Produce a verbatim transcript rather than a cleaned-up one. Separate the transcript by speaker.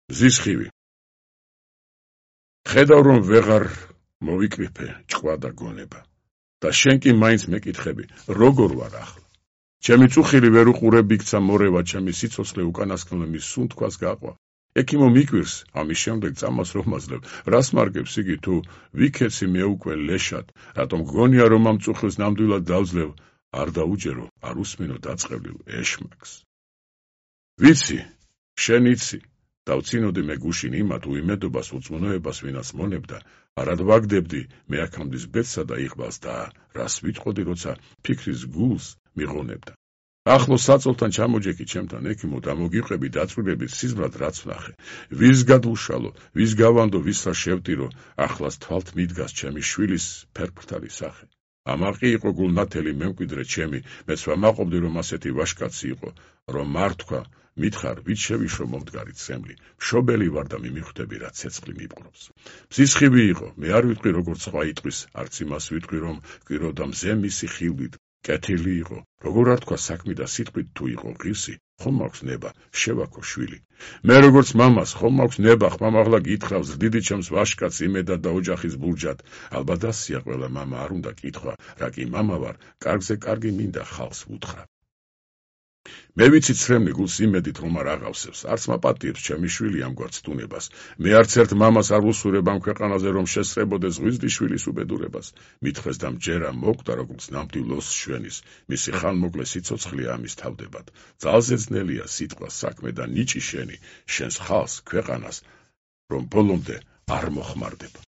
Speaker 1: მზის ხივი. ხედავ რომ ვეღარ მოვიკრიფე ჭკვა და გონება და შენ კი მაინც მეკითხები როგორ ვარ ახლა. ჩემი წუხილი ვერ უყურებ იქცა მორევა ჩემი სიცოცხლე უკანასკნელ მის სუნთქვას გაყვა. ექიმო მიკვირს ამის შემდეგ წამას რომ მაძლევ რას მარგებს იგი თუ ვიქეცი მე უკვე ლეშად რატომ გგონია რომ ამ წუხილს ნამდვილად დავძლევ არ დაუჯერო არ უსმინო დაწყევლილ ეშმაკს. ვიცი შენ იცი დავცინოდი მე გუშინ იმათ უიმედობას უწმუნოებას ვინაც მონებდა არად ვაგდებდი მე აქამდის ბედსა და იყვალს და რას ვიტყოდი როცა ფიქრის გულს მიღონებდა. ახლო საწოლთან ჩამოჯექი ჩემთან ექიმო და მოგიყვები დაწვრილებით სიზმრად რაც ვნახე. ვის გადვუშალო, ვის გავანდო, ვისრა შევტირო, ახლას თვალთ მიდგას ჩემი შვილის ფერფრთალი სახე. ამაყი იყო გულნათელი მემკვიდრე ჩემი, მეც ვამაყობდი რომ ასეთი ვაშკაცი იყო, რომ არ თქვა, მითხარ, ვით შევიშო მომდგარი ცემლი, მშობელი ვარ და მიმიხვდები რა ცეცხლი მიპყრობს. მზის ხივი იყო, მე არ ვიტყვი როგორც სხვა იტყვის, არც იმას ვიტყვი რომ გვიროდა მზე მისი ხილვით. კეთილი იყო, როგორ არ თქვა საქმე და სიტყვით თუ იყო ღირსი, ხომ მაქვს ნება, შევაქო შვილი. მე როგორც მამას, ხომ მაქვს ნება, ხმამაღლა გითხრავს, დიდი ჩემს ვაშკაც იმედად და ოჯახის ბურჯად. ალბათ ასია ყველა მამა არ უნდა კითხვა, რა კი მამა ვარ, კარგზე კარგი მინდა ხალხს უთხრა. მე ვიცი ცრემლი გულს იმედით რომ არ აღავსებს, არც მაპატიებს ჩემი შვილი ამგვარ ცდუნებას. მე არც ერთ მამას არ ვუსურებ ამ ქვეყანაზე რომ შესწრებოდეს ღვიძლი შვილის უბედურებას. მითხრეს და მჯერა მოკვდა როგორც ნამდვილ ოსს შვენის, მისი ხანმოკლე სიცოცხლე ამის თავდებად. ძალზე ძნელია სიტყვა საქმე და ნიჭი შენი, შენს ხალხს, ქვეყანას, რომ ბოლომდე არ მოხმარდება.